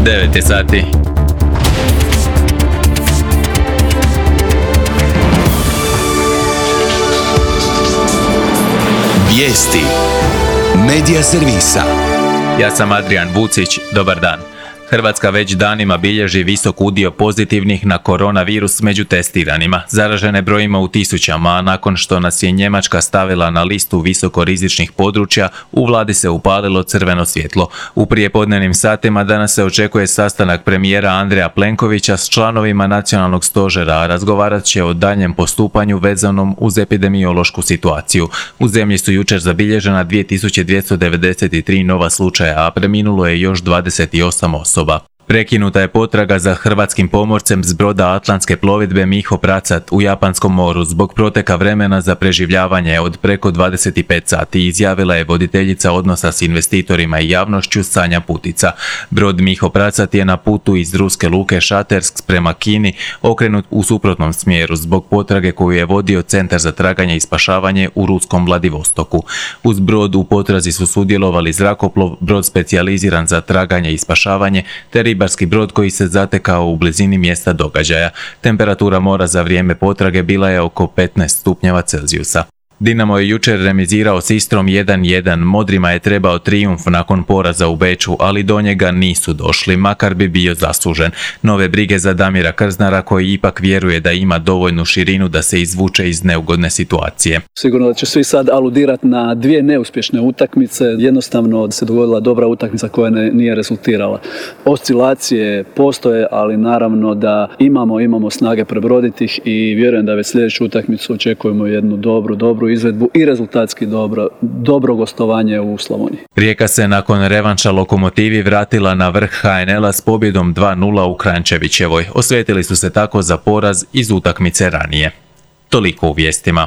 9 je sati. Vijesti Medija servisa. Ja sam Adrian Vucić, dobar dan. Hrvatska već danima bilježi visok udio pozitivnih na koronavirus među testiranima. Zaražene brojimo u tisućama, a nakon što nas je Njemačka stavila na listu visokorizičnih područja, u vladi se upalilo crveno svjetlo. U prijepodnevnim satima danas se očekuje sastanak premijera Andreja Plenkovića s članovima nacionalnog stožera, a razgovarat će o daljnjem postupanju vezanom uz epidemiološku situaciju. U zemlji su jučer zabilježena 2293 nova slučaja, a preminulo je još 28 osoba. Prekinuta je potraga za hrvatskim pomorcem s broda Atlantske plovidbe Miho Pracat u Japanskom moru zbog proteka vremena za preživljavanje od preko 25 sati, izjavila je voditeljica odnosa s investitorima i javnošću Sanja Putica. Brod Miho Pracat je na putu iz ruske luke Šatersk prema Kini okrenut u suprotnom smjeru zbog potrage koju je vodio Centar za traganje i spašavanje u ruskom Vladivostoku. Uz brod u potrazi su sudjelovali zrakoplov, brod specijaliziran za traganje i spašavanje te ribarski brod koji se zatekao u blizini mjesta događaja. Temperatura mora za vrijeme potrage bila je oko 15 stupnjeva Celzijusa. Dinamo je jučer remizirao s Istrom 1:1. Modrima je trebao trijumf nakon poraza u Beču, ali do njega nisu došli, makar bi bio zaslužen. Nove brige za Damira Krznara, koji ipak vjeruje da ima dovoljnu širinu da se izvuče iz neugodne situacije. Sigurno da će svi sad aludirati na dvije neuspješne utakmice. Jednostavno se dogodila dobra utakmica koja nije rezultirala. Oscilacije postoje, ali naravno da imamo snage prebroditi ih i vjerujem da već sljedeću utakmicu očekujemo jednu dobru izvedbu i rezultatski dobro gostovanje u Slavoniji. Rijeka se nakon revanša Lokomotivi vratila na vrh HNL-a s pobjedom 2:0 u Kranjčevićevoj. Osvetili su se tako za poraz iz utakmice ranije. Toliko u vijestima.